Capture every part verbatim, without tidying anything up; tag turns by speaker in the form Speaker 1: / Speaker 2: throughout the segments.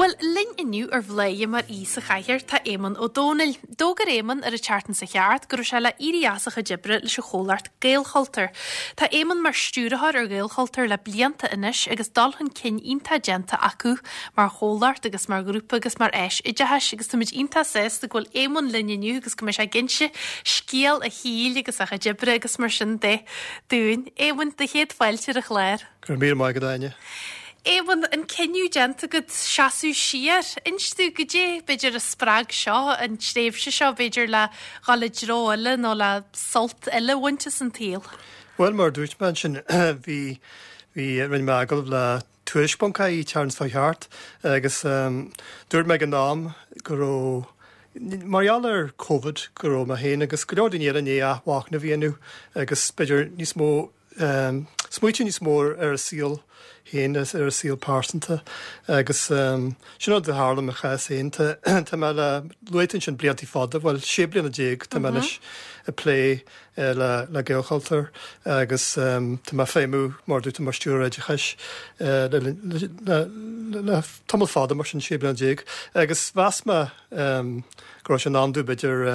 Speaker 1: Bhuel, linn inniu ar Bhladhaire mar aoi sa chathaoir tá Éamonn Ó Dónaill. D'fhógair Éamonn ar an tseachtain seo thart go raibh sé le éirí as a chuid oibre leis an chomhlacht Gaelchultúr. Tá Éamonn mar stiúrthóir ar Ghaelchultúr le blianta anois agus dul chun cinn iontach déanta acu mar chomhlacht agus mar ghrúpa agus mar áis oideachais agus táimid iontach sásta go bhfuil Éamonn linn inniu agus go mbeidh sé ag inse scéal a shaoil agus a chuid oibre agus mar sin de dúinn. Éamonn, do chéad fáilte ar an chlár.
Speaker 2: Go raibh míle maith agat, Áine.
Speaker 1: Éamonn, an cinneadh déanta agat seasamh siar, inis dúinn goidé b'fhéidir a spreag seo, an tréimhse seo b'fhéidir le dhul i dtreo eile nó le sult eile a bhaint as an tsaol.
Speaker 2: Bhuel, mar a dúirt mé ansin, bhí bhí rinne mé agallamh le Tuairisc ponc ie an tseachtain seo thart agus dúirt mé ag an am go raibh mar gheall ar Covid go raibh mé féin agus go leor daoine eile i ndiaidh athmhachnamh a dhéanamh agus b'fhéidir níos mó smaoitiú níos mó ar a saol féin ar a saol pearsanta agus sin rud a tharla i mo chás féin. Tá mé le luaigh tú ansin blianta fada, bhuel sé bliana déag tá mé anois ag plé le le Gaelchultúr agus tá mé ag feidhmiú mar dúirt tú mar stiúrthóir oideachais le le le tamall fada mar sin sé bliana déag agus mheas mé go raibh sé in am domh b'fhéidir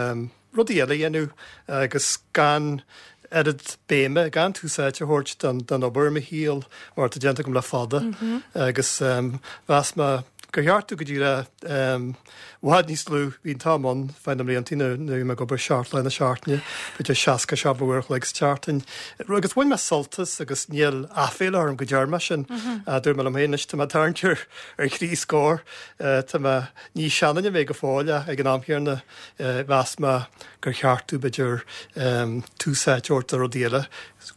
Speaker 2: rudaí eile a dhéanamh agus gan oiread béime gan tús áite a thabhairt don don obair i mo shaol mar atá déanta agam le fada agus mheas mé gur cheart domh go dtí le i bhfad níos lú bhí an t-am ann feadh na mblianta nuair a bhí mé ag obair seacht lá na seachtaine b'fhéidir seasca seacht uair a chloig sa tseachtain agus bhain mé sult as agus níl aiféala orm go ndearna mé sin dúirt mé liom féin anois tá mé ag tarraingt ar ar thrí scór tá mé ní seanduine mé go fóill ach ag an am chéanna mheas mé gur cheart domh b'fhéidir tús áite a thabhairt do rudaí eile,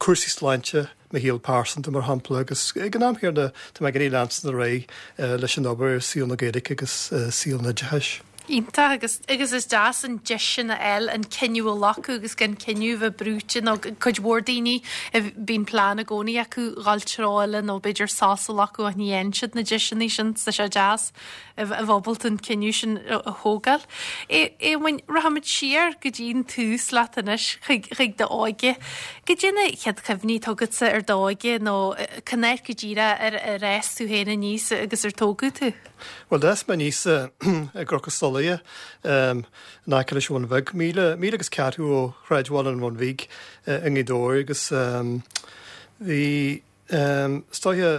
Speaker 2: cúrsaí sláinte, mo shaol pearsanta mar shampla agus ag an am chéanna tá mé ag iarraidh leanstan ar aghaidh leis an obair i saol na Gaeilge agus saol an oideachais.
Speaker 1: Iontach agus agus is deas an deis sin a fháil an cinneadh a ghlacadh agus gan cinneadh bheith brúite nó cuid mhór daoine bíonn plean i gcónaí acu dhul treo eile nó b'fhéidir sos a ghlacadh ach ní fhaigheann siad na deiseanna sin tá sé deas a bheith ábalta an cinneadh sin a thógáil. Éamoinn, rachaimid siar go dtí an tús leat anois chuig chuig d'óige. Goidé na chéad chuimhní atá agatsa ar d'óige nó cén áit go díreach ar ar fhás tú féin aníos agus ar tógadh tú?
Speaker 2: Bhuel d'fhás mé aníos i gCnoc an Stolaire in aice leis an Bhun Bheag, míle míle agus ceathrú ó shráidbhaile an Bhun Bhig i nGaoth Dobhair agus bhí is dóiche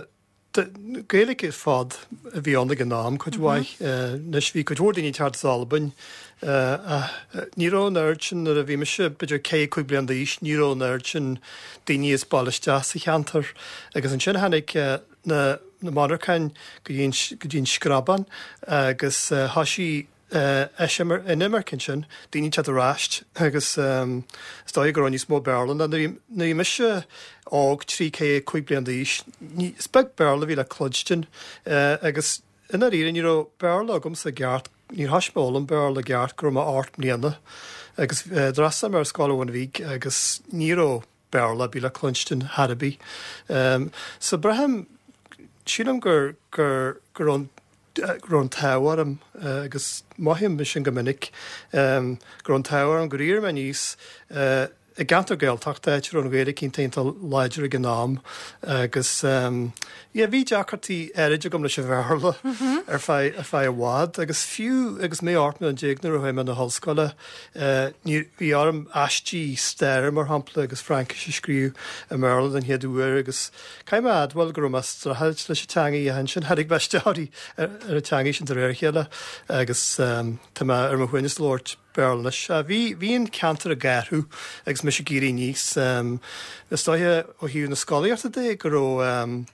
Speaker 2: Gaeilge ar fad a bhí ann ag an am cuid mhaith. Anois bhí cuid mhór daoine ag teacht as Albain ach ní raibh an oiread sin nuair a bhí mise b'fhéidir ceithre cúig bliana d'aois ní raibh an oiread sin daoine as baile isteach sa cheantar agus ansin tháinig na na monarcháin go dtí an go dtí an Screabán agus thoisigh inimirce ansin, daoine ag teacht ar ais agus is dóigh go raibh níos mó Béarla ná nuair a bhí mise óg trí ceithre cúig bliana d'aois, is beag Béarla a bhí le cluinstin agus i ndáiríre ní raibh Béarla agamsa i gceart, níor thoisigh mé a fhoghlaim Béarla i gceart go raibh mé ocht mbliana agus d'fhreastail mé ar Scoil an Bhun Bhig agus ní raibh Béarla ar bith le cluinstin chor ar bith. So braithim, sílim gur gur go raibh an go raibh an t-ádh orm agus mothaím é sin go minic, go raibh an t-ádh orm gur éirigh mé aníos i gceantar Gaeltachta, áit a raibh an Ghaeilge iontach iontach láidir ag an am agus yeah bhí deacrachtaí áirid agam leis an Bhéarla ar feadh ar feadh i bhfad agus fiú agus mé ocht mbliana déag nuair a chuaigh mé na hollscoile ní bhí orm aistí staire mar shampla agus Fraincis a scríobh i mBéarla den chéad uair agus Caithfidh mé a admháil go raibh mé ag streachailt leis an teangaidh ach ansin tháinig mé isteach ar an teangaidh sin de réir a chéile agus tá mé ar mo shuaimhneas ag labhairt Béarla anois. Bhí bhí an ceantar ag athrú agus mise ag éirí aníos. Is dóiche ó thaobh na scolaíochta de go raibh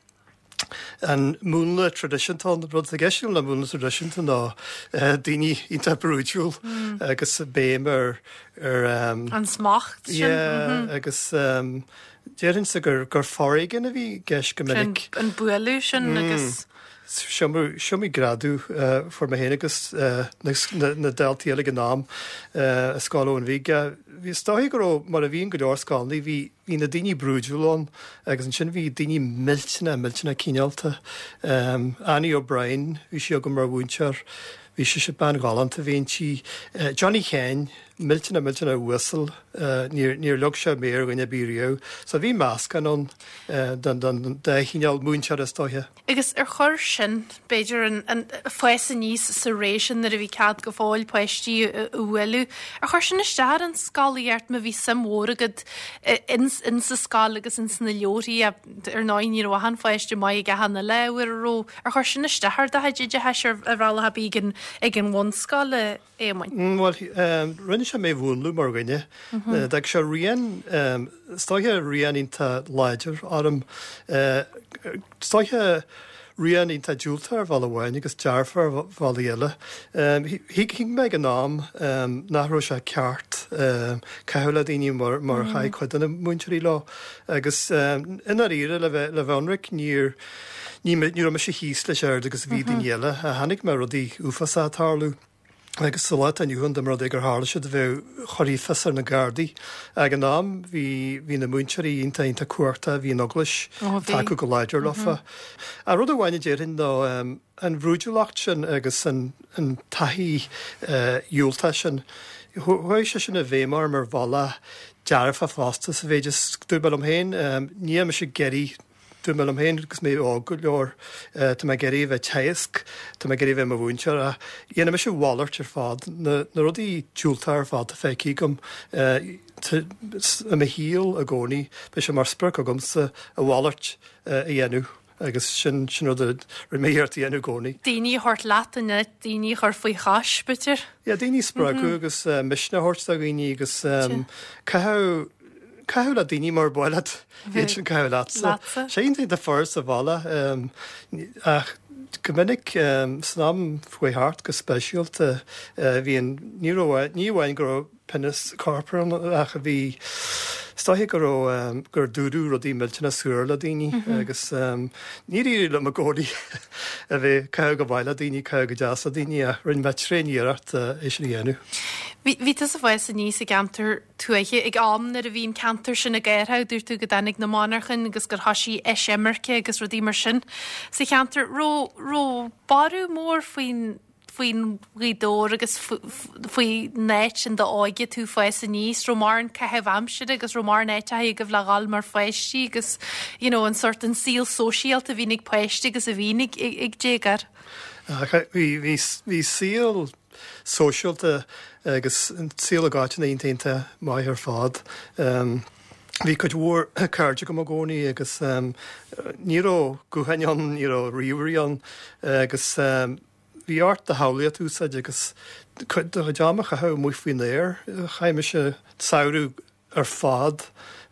Speaker 2: an múnla traidisiúnta ann. Rud atá i gceist agam le múnla traidisiúnta ná daoine iontach brúidiúil agus béim ar ar
Speaker 1: An smacht sin.
Speaker 2: Yeah agus Déarfainnse gur gur foréigean a bhí i gceist go minic.
Speaker 1: An bualadh sin agus.
Speaker 2: Is iomaí greadadh a fuair mé féin agus na daltaí eile ag an am i Scoil an Bhun Bhig. Bhí is dóigh go raibh, mar a bhíonn go leor scoileanna, bhí bhí na daoine brúidiúil ann agus ansin bhí daoine millteanach millteanach cineálta. Um, Annie O'Brien, bhí sí agam mar mhúinteoir, bhí sise bean ghalánta a bhí inti. Uh, Johnny Ken, millteanach millteanach uasal, uh, níor níor leag sé méar ar dhuine ar bith riamh. So bhí meascán ann uh, den den dá chineál múinteoir is dóiche.
Speaker 1: Agus ar chuir sin, b'fhéidir an, an fás aníos sa ré sin nuair a bhí cead go fóill páistí a bhualadh, ar chuir sin isteach ar an scolaíocht má bhí suim mhór agat in, in sa scoil agus in sna leabharthaí ar ndóigh ní raibh achan pháiste maith ag achan uile ábhar a raibh, ar chuir sin isteach ar do chuid oideachais ar, ar bhealach ar bith ag an, ag an bhunscoil, a Éamoinn?
Speaker 2: Mm, Bhuel, um, rinne sé mé a mhúnlú mar dhuine. D'fhág sé rian, um, is dóiche rian iontach láidir orm. Uh, is dóiche rian iontach diúltach ar bhealach amháin agus dearfach ar bhealaí eile. Um, thuig thuig mé ag an am um, nach raibh sé ceart um, caitheamh le daoine mar, mar mm. chaith cuid de na múinteoirí leo. Agus um, i ndáiríre le bheith le bheith ionraic níor ní ní raibh mise thíos leis oiread agus a bhí daoine eile. Chonaic mé rudaí uafásacha ag tarlú. Agus sa lá atá inniu ann dá mba rud é gur tharla siad bheadh chuirfí fios ar na Gardaí. Ag an am bhí bhí na múinteoirí iontach iontach cumhachtach, bhí an eaglais
Speaker 1: Ó, bhí.
Speaker 2: tacú go láidir leofa. A rud amháin a déarfainn ná um, an bhrúidiúlacht sin agus an, an taithí uh, dhiúltach sin. Chuaigh sé sin i bhfeidhm orm ar bhealach dearfach fosta sa mhéid is dúirt mé liom féin, um, níl mise ag iarraidh dúirt mé liom féin agus mé óg go leor uh, tá mé ag iarraidh bheith teagasc, tá mé ag iarraidh bheith i mo mhúinteoir ach dhéanfaidh mise a mhalairt ar fad na, na rudaí diúltacha ar fad a feicthe agam uh, i mo shaol i gcónaí, beidh sé mar sprioc agamsa a mhalairt uh, a dhéanamh agus sin sin rud a rinne mé iarracht a dhéanamh i gcónaí.
Speaker 1: Daoine a thabhairt leat in áit daoine a chur faoi chois, b'fhéidir?
Speaker 2: Ja, daoine spreagadh agus uh, misneach a thabhairt do dhaoine agus um, caitheamh caitheamh le daoine mar ba mhaith leat iad sin caitheamh leatsa.
Speaker 1: Leatsa.
Speaker 2: Sé iontach de fuar sa bhaile um, ach go minic um, san am faoi thart go speisialta uh, bhí an ní raibh ní amháin go raibh pionós corpartha ann ach a bhí is dóiche go raibh um, gur dúradh rudaí millteanach saor le daoine mm -hmm. agus um, níor éirigh liom i gcónaí a bheith caitheamh go maith le daoine caitheamh go deas le daoine ach rinne mé tréaniarracht uh, é sin a dhéanamh.
Speaker 1: Bhí bhí tusa ag fás aníos i gceantar tuaithe ag am nuair a bhí an ceantar sin ag athrú dúirt tú go dtáinig na monarchain agus gur thosaigh eisimirce agus rudaí mar sin. Sa cheantar raibh raibh borradh mór faoin faoin Ghaoth Dobhair agus faoin áit in d'óige tú ag fás aníos, raibh mórán caitheamh aimsire agus raibh mórán áiteacha agaibh le dhul mar pháistí agus you know, an sórt an saol sóisialta a bhíonn ag páistí agus a bhíonn ag, ag, ag déagóir.
Speaker 2: Bhí bhí bhí saol sóisialta agus an saol ag áiteanna iontach maith ar fad. Um, Bhí cuid mhór cairde agam i gcónaí agus um, ní raibh gutháin ann, ní raibh ríomhairí ann agus um, bhí ort do shamhlaíocht a úsáid agus do chuid ama a chaitheamh amuigh faoin aer. Chaith mise samhradh ar fad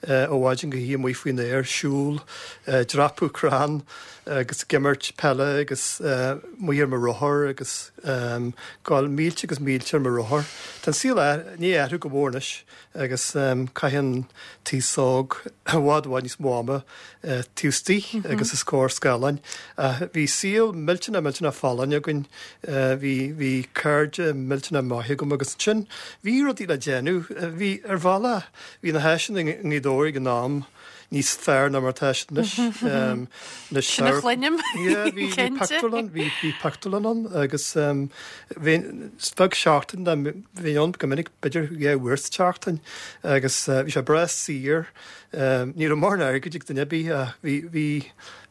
Speaker 2: uh, ó mhaidin go hoíche amuigh faoin aer, siúl, uh, dreapadh crann agus ag imirt peile agus uh, amuigh ar mo rothar agus um, gabháil mílte agus mílte ar mo rothar. Tá an saol ní athrú go mór anois agus um, caitheann an t-aos óg i bhfad i bhfad níos mó ama uh, taobh istigh mm -hmm. agus os comhair scáileáin. Uh, bhí saol millteanach millteanach folláin againn, uh, bhí bhí cairde millteanach maith agam agus sin bhí rudaí le déanamh, uh, bhí ar bhealach bhí na háiseanna i nGaoth Dobhair ag an am níos fearr ná mar atá siad anois. Um,
Speaker 1: Sin a chluinim.
Speaker 2: Yeah, bhí bhí
Speaker 1: Cinnte.
Speaker 2: pictiúrlann, bhí bhí pictiúrlann ann agus um, bhí beag seachtain dá bhí ann go minic b'fhéidir dhá uair sa tseachtain agus uh, bhí sé breá saor um, ní raibh mórán airgid ag duine ar bith ach bhí bhí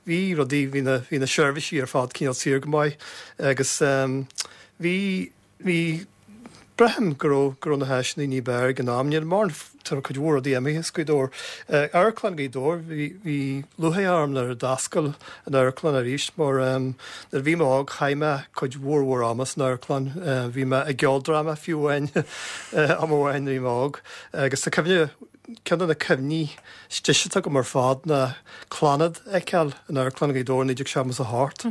Speaker 2: bhí rudaí bhí na bhí na seirbhísí ar fad cineál saor go maith agus um, bhí bhí braithim go raibh go raibh na háiseanna ní b'fhearr ag an am níl mórán tá cuid mhór rudaí imithe as Gaoth Dobhair. Uh, Amharclann Ghaoth Dobhair bhí bhí lúcháir orm nuair a d'oscail an amharclann arís mar um, nuair a bhí mé óg chaith mé cuid mhór mhór ama san amharclann uh, bhí mé i gceoldráma fiú amháin uh, am amháin nuair a bhí mé óg agus tá cuimhne ceann de na cuimhní is deise atá agam ar fad ná Clannad a fheiceáil in Amharclann Ghaoth Dobhair naoi déag seachtó a hocht.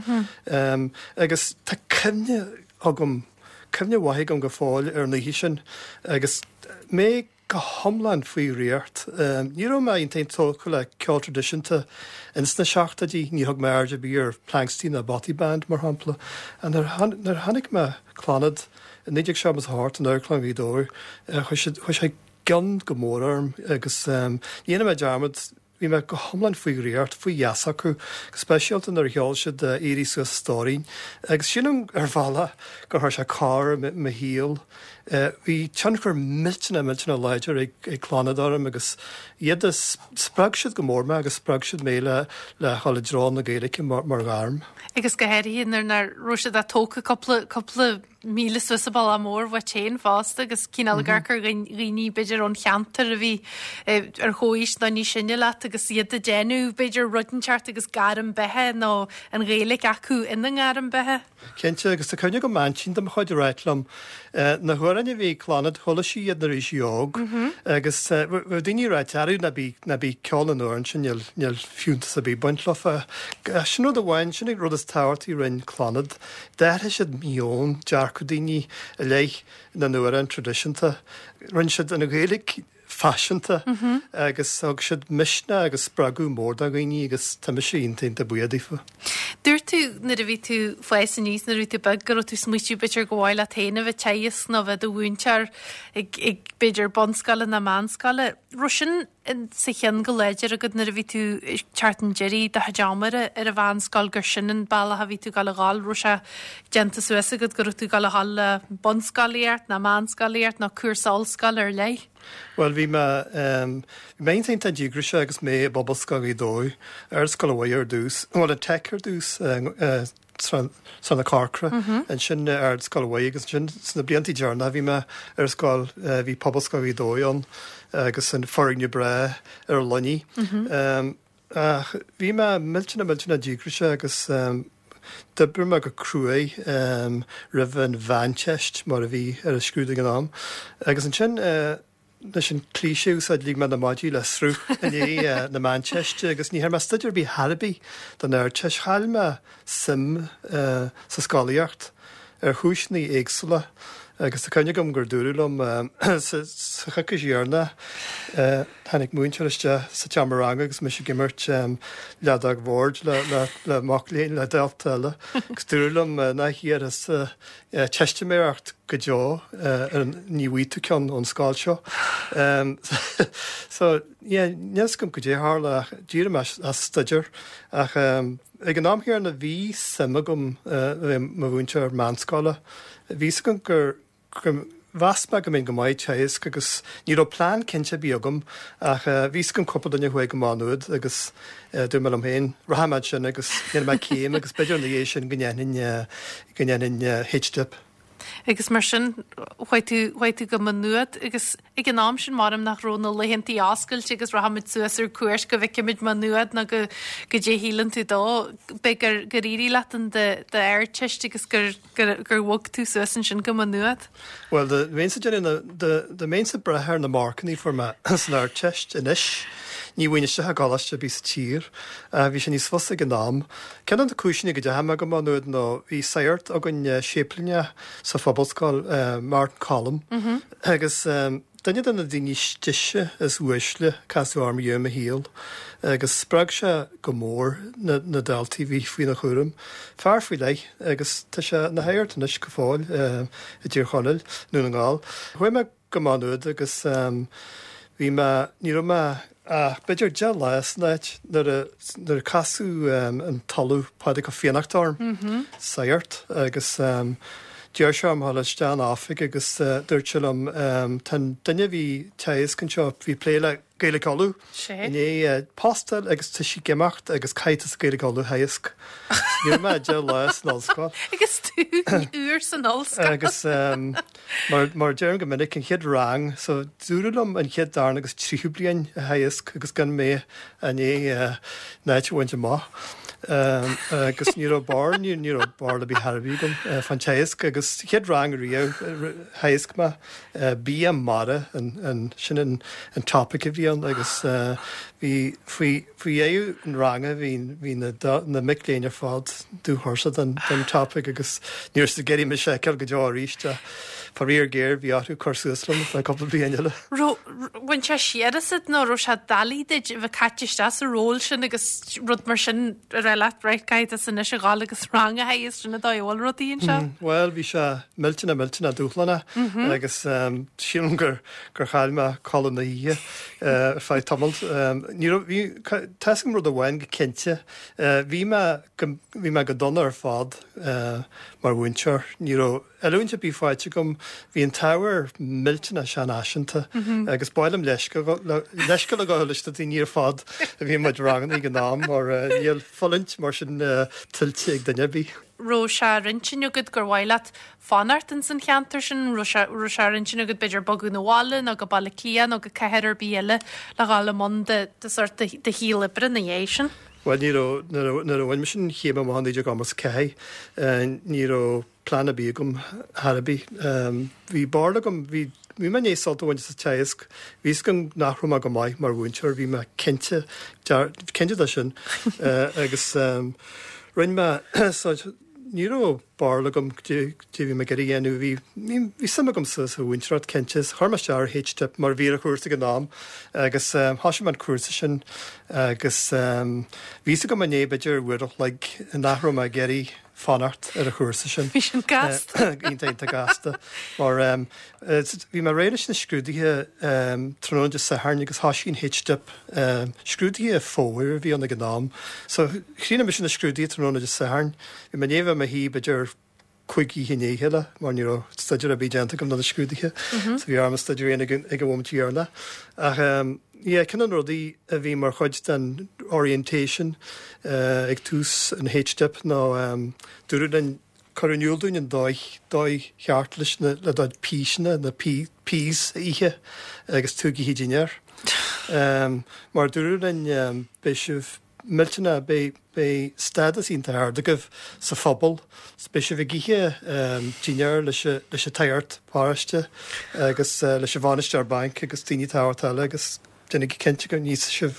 Speaker 2: Um, agus tá cuimhne agam cuimhne mhaith agam go fóill ar an oíche sin agus mé go hiomlán faoi dhraíocht. Um, ní raibh mé iontach tógtha le ceol traidisiúnta ins na seachtóidí, ní thug mé aird ar bith ar Planxty ná Bothy Band mar shampla. An nuair a chonaic mé Clannad i naoi déag seachtó a hocht in Amharclann Ghaoth Dobhair, chuaigh sé gcion go mór orm agus ní dhéanfaidh mé dearmad, bhí mé go hiomlán faoi dhraíocht, faoi gheasa acu, go speisialta nuair a cheol siad Éirigh Suas a Stóirín. Agus sílim ar bhealach gur chuir sé cor i mo shaol. Bhí tionchar millteanach, millteanach láidir ag Clannad orm agus iad a spreag siad go mór mé agus spreag siad mé le le dhul i dtreo na Gaeilge mar ghairm.
Speaker 1: Agus go háirithe nuair nach raibh siad tógtha cúpla cúpla míle suas an bealach mór uait féin fosta agus cineál ag amharc ar dhaoine b'fhéidir ón cheantar a bhí ar chomhaois nó níos sine leat agus iad ag déanamh b'fhéidir rud inteacht agus gairm beatha nó an Ghaeilge acu ina ngairm beatha.
Speaker 2: Cinnte, agus tá cuimhne agam aintín de mo chuid ag ráit liom na hamhráin a bhí ag Clannad, chuala sí iad nuair a bhí sí óg agus bheadh daoine ag ráit arú ná bí ná bí ceol na n-amhrán sin níl níl fiúntas ar bith ag baint leofa. Sin rud amháin, sin an rud is tábhachtaí a rinne Clannad. D'athraigh siad meon, dearcadh daoine i leith na n-amhrán traidisiúnta. Rinne siad an Ghaeilge faiseanta agus thug siad misneach agus spreagadh mór do dhaoine agus tá mise iontach iontach buíoch daofa.
Speaker 1: Dúirt tú nuair a bhí tú ag fás aníos, nuair a bhí tú beag, go raibh tú ag smaoitiú b'fhéidir go mhaith leat féin a bheith ag teagasc nó bheith i do mhúinteoir ag, ag b'fhéidir bunscoile nó meánscoile. Raibh sin sa cheann go láidir agat nuair a bhí tú ag teacht chun deiridh do chuid ama ar an mheánscoil gur sin an bealach a bhí tú ag gabháil a dhul, raibh sé déanta suas agat go raibh tú ag gabháil a dhul le bunscolaíocht nó meánscolaíocht nó cúrsa ollscoile ar leith?
Speaker 2: Bhuel, bhí mé, bhí mé iontach iontach díograiseach agus mé i bPobalscoil Ghaoth Dobhair, Ardscoil an Mhuire ar dtús, bhuel an Teic ar dtús, Sráid na Corcra, ansin Ardscoil an Mhuire agus ansin sna blianta deireanacha bhí mé ar scoil, bhí Pobalscoil Ghaoth Dobhair ann agus an foirgneamh breá ar an Luinnigh. Ach bhí mé millteanach millteanach díograiseach agus d'oibrigh mé go cruaidh roimh an Mheánteist mar a bhí ar an scrúdú ag an am. Agus ansin leis an cliché a úsáid, lig mé na maidí le sruth i ndiaidh na Meánteiste agus ní dhearna mé staidéar ar bith chor ar bith don Ardteist. Chaill mé suim sa scolaíocht ar chúiseanna éagsúla agus tá cuimhne agam gur dúradh liom sa choicís dheireanach, tháinig múinteoir isteach sa tseomra ranga agus mise ag imirt leadóg bhoird le mac léinn, le dalta eile, agus dúradh liom nach iarrfadh teistiméireacht go deo ar an ní bhfaighidh tú ceann ón scoil seo. So, yeah, níl 'fhios agam goidé a tharla ach d'éirigh mé as staidéar ach ag an am chéanna bhí suim agam a bheith i mo mhúinteoir meánscoile. Bhí 'fhios agam gur gur mheas mé go mbeinn go maith ag teagasc agus ní raibh plean cinnte ar bith agam ach bhí 'fhios agam cúpla duine a chuaigh go Má Nuad agus dúirt mé liom féin, rachaidh mé ansin agus dhéanfaidh mé céim agus b'fhéidir ina dhiaidh sin go ndéanfainn go ndéanfainn H-Dip.
Speaker 1: Agus mar sin chuaigh tú chuaigh tú go Má Nuad agus ag an am sin maram nach raibh na laethantaí oscailte agus rachaimid suas ar cuairt go bhfeicfimid Má Nuad nó go goidé a shíleann tú dó. B'é gur gur éirigh leat in d'Ardteist agus gur gur gur bhog tú suas ansin go Má Nuad.
Speaker 2: Bhuel, dá mbeinnse ag déanamh dá mbeinnse ag brath ar na marcanna a fuair mé san Ardteist anois, ní bhfaighinn isteach i gcoláiste ar bith sa tír. Bhí sé níos fusa ag an am. Ceann de na cúiseanna go dteachaigh mé go Má Nuad nó bhí sagart againn séiplíneach sa Phobalscoil, Martin Collum, agus duine de na daoine is deise is uaisle a casadh orm riamh i mo shaol agus spreag sé go mór na na daltaí a bhí faoina chúram. Fear faoi leith agus tá sé ina shagart anois go fóill i dTír Chonaill, Dún na nGall. Chuaigh mé go Má Nuad agus bhí mé, ní raibh mé ach b'fhéidir deich lá san áit nuair a nuair a casadh an tOllamh Pádraig Ó Fiannachta orm, sagart, agus d'iarr sé orm dhul isteach ina oifig agus dúirt sé liom tá an duine a bhí ag teagasc anseo, bhí ag plé le Gaeilge Uladh i ndiaidh post a fháil agus tá sé ag imeacht agus caithfidh tusa Gaeilge Uladh a theagasc. Ní raibh mé ach deich lá san ollscoil.
Speaker 1: Agus tú úr san ollscoil.
Speaker 2: Agus mar mar deirim go minic, an chéad rang, so dúradh liom an chéad, darna agus tríú bliain a theagasc agus gan mé i ndiaidh an áit a bhaint amach. Agus ní raibh barr, ní ní raibh barr ar bith chor ar bith agam fán teagasc agus chéad rang riamh theagasc mé bia mara an an sin an an topic a bhí ann agus bhí faoi faoi dheireadh an ranga bhí bhí na na mic léinn ar fad dúthuirseach den den topic agus ní raibh siad ag iarraidh mise a fheiceáil go deo arís ach faraor géar bhí orthu cur suas liom ar feadh cúpla bliain eile.
Speaker 1: Raibh bhain sé siar asat nó raibh sé doiligh duit a bheith caite isteach sa ról sin agus rud mar sin a rá rá leat right caithfidh tusa anois a ghabháil agus rang a theagasc sin an dóigh a bhfuil rudaí anseo.
Speaker 2: Bhuel, bhí sé millteanach millteanach dúshlánach agus sílim gur gur chaill mé codladh na hoíche ar feadh tamaill. Ní raibh, bhí, tá fhios agam rud amháin go cinnte, bhí mé go, bhí mé go dona ar fad mar mhúinteoir. Ní raibh oiliúint ar bith faighte agam, bhí an t-ábhar millteanach seanfhaiseanta agus ba mhaith liom leithscéal a ghabháil leis na daoine ar fad a bhí muid ranganna ag an am mar níl fulaingt mar sin tuillte ag duine ar bith.
Speaker 1: Raibh sé ar intinn agat gur mhaith leat fanacht ins an cheantar sin, raibh sé raibh sé ar intinn agat b'fhéidir bogadh 'na bhaile nó go Baile Átha Cliath nó go cathair ar bith eile le dhul i mbun de de sort de de shaol oibre ina dhiaidh sin?
Speaker 2: Bhuel ní raibh, nuair a bhain mise an chéim amach i naoi déag ochtó a ceathair, ní raibh plean ar bith agam chor ar bith. Bhí barúil agam, bhí, bhí mé i ndiaidh sult a bhaint as an teagasc, bhí fhios agam nach raibh mé go maith mar mhúinteoir, bhí mé cinnte, cinnte de sin agus rinne mé, so ní raibh barúil agam cad é bhí mé ag iarraidh a dhéanamh. Bhí, bhí suim agam sa mhúinteoireacht, cinnte. Chuir mé isteach ar H-Dip mar a bhí ar an chúrsa ag an am agus thosaigh mé an cúrsa sin agus bhí fhios agam i ndiaidh b'fhéidir uair a chloig nach raibh mé ag iarraidh fanacht ar an chúrsa sin.
Speaker 1: Bhí sin gasta.
Speaker 2: Iontach, iontach gasta. Mar bhí mé réidh leis na scrúduithe tráthnóna Dé Sathairn agus thosaigh an H-Dip. Scrúduithe fómhair a bhí ann ag an am. So chríochnaigh mise na scrúduithe tráthnóna Dé Sathairn. Bhí mé i ndiaidh a bheith i mo shuí b'fhéidir cúig oíche i ndiaidh a chéile mar ní raibh staidéar ar bith déanta agam do na scrúduithe. So bhí orm staidéar a dhéanamh ag an bhomaite dheireanach. Ach yeah, ceann de na rudaí a bhí mar chuid den orientation ag tús an H-Dip ná dúradh linn cuireadh in iúl dúinn an dóigh, dóigh cheart leis na, le do píseanna, na peas a ithe agus tú ag ithe dinnéar. Mar dúradh linn beidh sibh millteanach, beidh, beidh stádas iontach ard agaibh sa phobal, beidh sibh ag ithe dinnéar leis an, leis an tsagart paróiste agus leis an bhainisteoir bainc agus daoine tábhachtacha eile agus déanaigí cinnte go n-íosfaidh sibh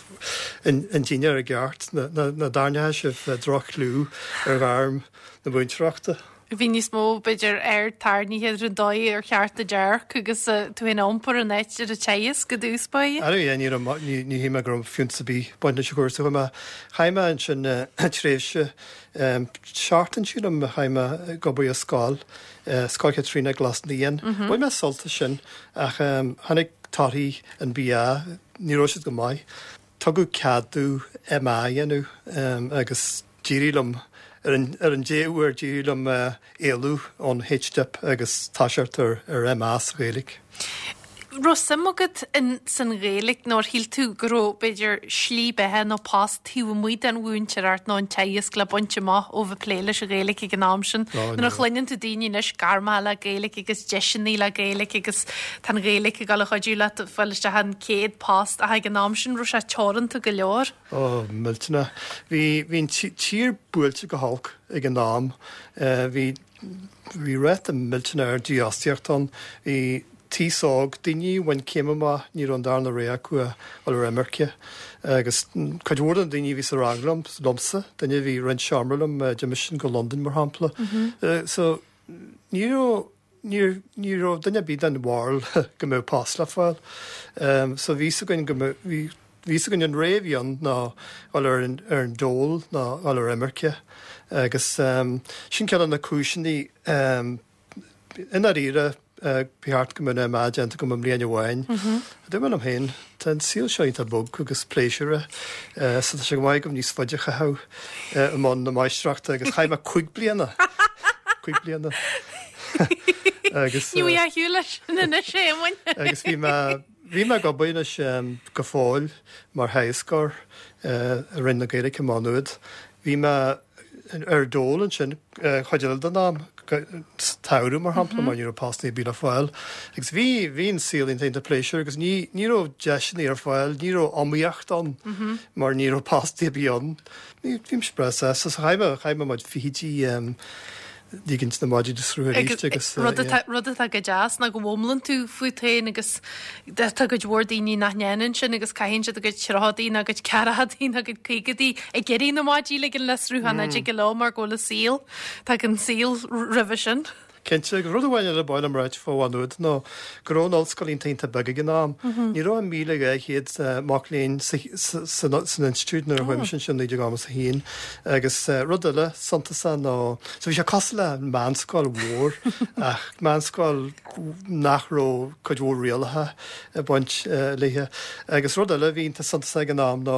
Speaker 2: an dinnéar i gceart, nó go dtarraingeoidh sibh droch-chlú ar ghairm na múinteoireachta.
Speaker 1: Bhí níos mó, b'fhéidir, aird tarraingthe ar an dóigh ar cheart do dearc agus tú féin a iompar in áit ar an teagasc i dtús báire.
Speaker 2: Ar ndóigh, ní raibh, ní, ní shíl mé go raibh fiúntas ar bith ag baint leis an chúrsa. Chuaigh mé, chaith mé ansin tréimhse, seachtain sílim, chaith mé ag obair i scoil, Scoil Chaitríona i gCros na Naíon. Bhain mé sult as sin ach tháinig torthaí an BA, ní raibh siad go maith. Tugadh cead domh MA a dhéanamh agus d'éirigh liom, ar an ar an dea-uair, d'éirigh liom éalú ón H-Dip agus toiseacht ar ar MA sa Ghaeilge.
Speaker 1: Raibh suim agat in san Ghaeilge nó ar shíl tú go raibh, b'fhéidir, slí beatha nó post taobh amuigh den mhúinteoireacht nó an teagasc le baint amach ó bheith ag plé leis an Ghaeilge ag an am sin? Nuair a chluineann tú daoine anois, gairmeacha le Gaeilge agus deiseanna le Gaeilge agus tá an Ghaeilge ag dul a chuidiú leat fáil isteach an chéad post ach ag an am sin raibh sé teoranta go leor.
Speaker 2: Ó, millteanach. Bhí, bhí an tír buailte go holc ag an am. Bhí, bhí ráta millteanach ard dífhostaíocht ann. Bhí t-aos óg, daoine a bhain céim amach, ní raibh an darna rogha acu ach dul ar imirce. Agus cuid mhór de na daoine a bhí sa rang liom, liomsa, duine a bhí ag roinnt seomra liom, d'imigh sin go Londain mar shampla. So ní raibh, ní, ní raibh duine ar bith den bharúil go mbeadh post le fáil. So bhí fhios againn go mbeadh, bhí, bhí fhios againn an rogha a bhí ann ná dul ar an, ar an dól ná dul ar imirce. Agus sin ceann de na cúiseanna, I ndáiríre, ba cheart go mbeadh an MA déanta agam i mbliain amháin. Dúirt mé liom féin, tá an saol seo iontach bog agus pléisiúrtha, so tá sé go maith agam níos faide a chaitheamh i mbun na máistreachta agus chaith mé cúig bliana! Cúig bliana. Agus.
Speaker 1: Ní bhfuil a shiúl leis sin anois, a Éamoinn.
Speaker 2: Agus bhí mé, bhí mé ag obair anois go fóill mar theagascóir i Roinn na Gaeilge i Má Nuad. Bhí mé ar dól ansin chuid eile den am, sa tsamhradh mar shampla, mar ní raibh postanna ar bith le fáil. Agus bhí, bhí an saol iontach iontach pléisiúrtha agus ní, ní raibh deiseanna ar fáil, ní raibh iomaíocht ann mar ní raibh postanna ar bith ann. Bhí, bhí mise breá sásta. So chaith mé, chaith mé mo chuid fichidí ligint na maidí de sruth arís agus.
Speaker 1: Rud atá, rud atá go deas ná go bhfoghlaimíonn tú fút féin agus tá cuid mhór daoine nach ndéanann sin agus caitheann siad a gcuid tríochaidí nó a gcuid ceathrachaidí nó a gcuid caogaidí ag iarraidh na maidí a ligean le sruth nach dtig leo mar go bhfuil a saol, tagann saol roimhe sin.
Speaker 2: Cinnte, agus rud amháin eile ba mhaith liom a ráit fá Mhá Nuad ná go raibh an ollscoil iontach iontach beag ag an am. Ní raibh ach míle dhá chéad mac léinn san institiúid nuair a chuaigh mise ansin naoi déag nócha a haon. Agus rud eile suntasach ná, so bhí sé cosúil le meánscoil mhór ach meánscoil nach raibh cuid mhór rialacha ag baint léi. Agus rud eile a bhí iontach suntasach ag an am ná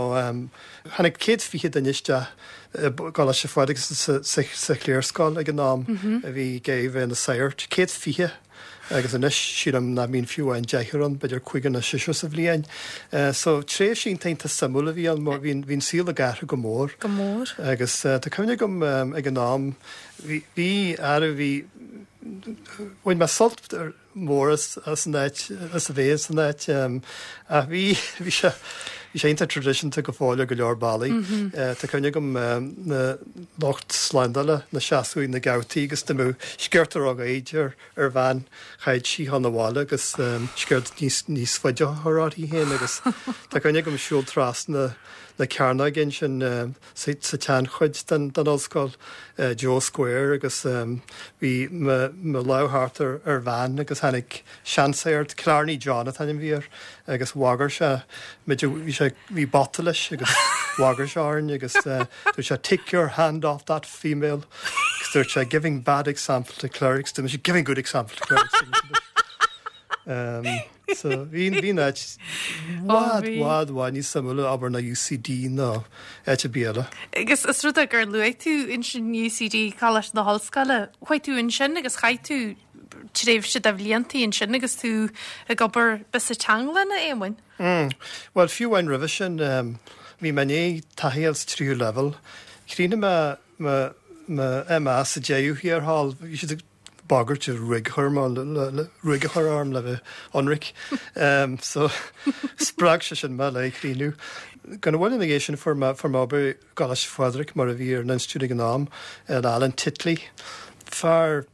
Speaker 2: tháinig céad fiche duine isteach i gColáiste Phádraig sa chliarscoil ag an am a bhí ag bheith ina sagairt, céad fiche agus anois sílim nach mbíonn fiú amháin deichniúr ann, b'fhéidir cúigear nó seisear sa bhliain. So tréimhse iontach iontach suimiúil a bhí ann mar bhí an saol ag athrú go mór.
Speaker 1: Go mór.
Speaker 2: Agus tá cuimhne agam ag an am, bhí, bhí, ara bhí, bhain mé sult mór as as an áit, as a bheith san áit ach bhí, bhí sé, bhí sé iontach traidisiúnta go fóill ar go leor bealaí. Tá cuimhne agam na lucht slándála ina seasamh ag na geaftaí agus dá mbeadh sciorta róghairid ar ar bhean chaithfeadh sí dhul 'na bhaile agus sciort níos níos faide a chur uirthi féin agus tá cuimhne agam siúl trasna na cearnóige ansin sa tseanchuid den ollscoil, Joe Square, agus bhí mo lámh thart ar bhean agus tháinig seansagart, Killarney John an t-ainm a bhí air, agus bhagair sé muid, bhí sé, bhí bata leis agus bhagair sé orainn agus dúirt sé 'take your hand off that female' agus dúirt sé 'giving bad example to clerics', dúirt mise 'giving good example to clerics'. So bhí bhí an áit i bhfad bhfad bhfad níos suimiúla abair ná UCD nó áit ar bith eile.
Speaker 1: Agus is rud é gur luaigh tú ansin UCD, Coláiste na hOllscoile, chuaigh tú ansin agus chaith tú tréimhse de bhlianta ansin agus tú ag obair ba sa teanglann a Éamoinn?
Speaker 2: Mm. Bhuel fiú amháin roimhe sin bhí mé i ndiaidh taithí a fháil sa tríú leibhéal. Chríochnaigh mé mo mo MA sa deichiú thiar thall. Bhí siad ag bagairt ruaig a chur ruaig a chur orm le bheith ionraic. So spreag sé sin mé le críochnú. Gan mhoill ina dhiaidh sin fuair mé fuair mé obair i gColáiste Phádraig mar a bhí ar an institiúid ag an am, le Alan Titley. Fear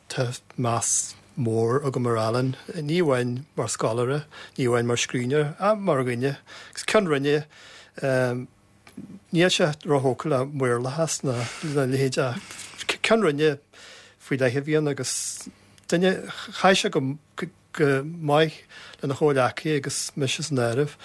Speaker 2: tá meas mór agam ar Alan, ní amháin mar scoláire, ní amháin mar scríbhneoir, ach mar dhuine. Agus ceann roinne níl sé róthógtha le maorlathas ná a leithéid ach ceann roinne faoi leith a bhí ann agus duine, chaith sé go go maith lena chomhghleacaithe agus mise san áireamh.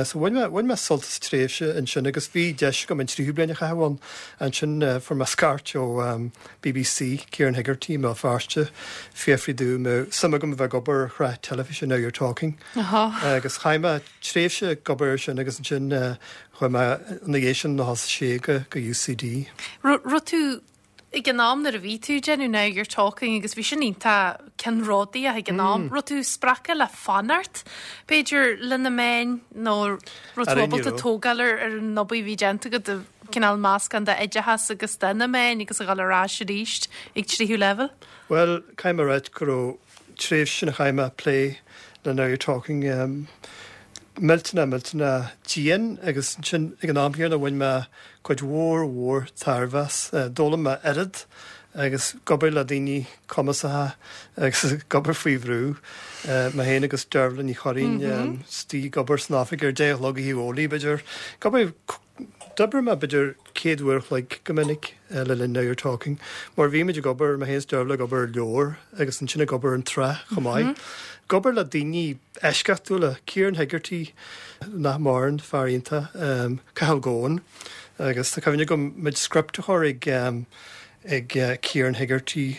Speaker 2: So bhain mé, bhain mé sult as tréimhse ansin agus bhí deis agam an tríú bliain a chaitheamh ann. Ansin fuair mé scairt ó BBC, Kieran Hegarty i mBéal Feirste, fiafraí domh an mbeadh suim agam a bheith ag obair ar shraith teilifíse Now You're Talking. Agus chaith mé tréimhse ag obair air sin agus ansin chuaigh mé ina dhiaidh sin nócha a sé go go UCD.
Speaker 1: Raibh tú ag an am nuair a bhí tú ag déanamh Now You're Talking agus bhí sin iontach ceannródaíoch ag an am, raibh tú spreagtha le fanacht b'fhéidir le na meáin nó raibh tú ábalta tógáil ar ar an obair a bhí déanta agat de cineál meascán d'oideachas agus de na meáin agus a dhul ar ais arís ag tríú leibhéal?
Speaker 2: Bhuel, caithfidh mé a ráit go raibh tréimhse sin a chaith mé ag plé le Now You're Talking millteanach millteanach dian agus ansin ag an am céanna bhain mé cuid mhór mhór tairbhe as. D'fhoghlaim mé oiread agus ag obair le daoine cumasacha agus ag obair faoi bhrú, mé féin agus Dervla Ní Churraoin istigh ag obair san oifig ar deich a chlog oíche Dhomhnaigh b'fhéidir. Ag obair D'oibrigh mé b'fhéidir céad uair a chloig go minic le linn Now You're Talking, mar bhí muid ag obair, mé féin is Dervla ag obair ar leabhar agus ansin ag obair ar an tsraith chomh maith. Ag obair le daoine eisceachtúla, Kieran Hegarty, nach maireann, fear iontach, Cathal Goan, agus tá cuimhne agam muid script a chur ag ag Kieran Hegarty,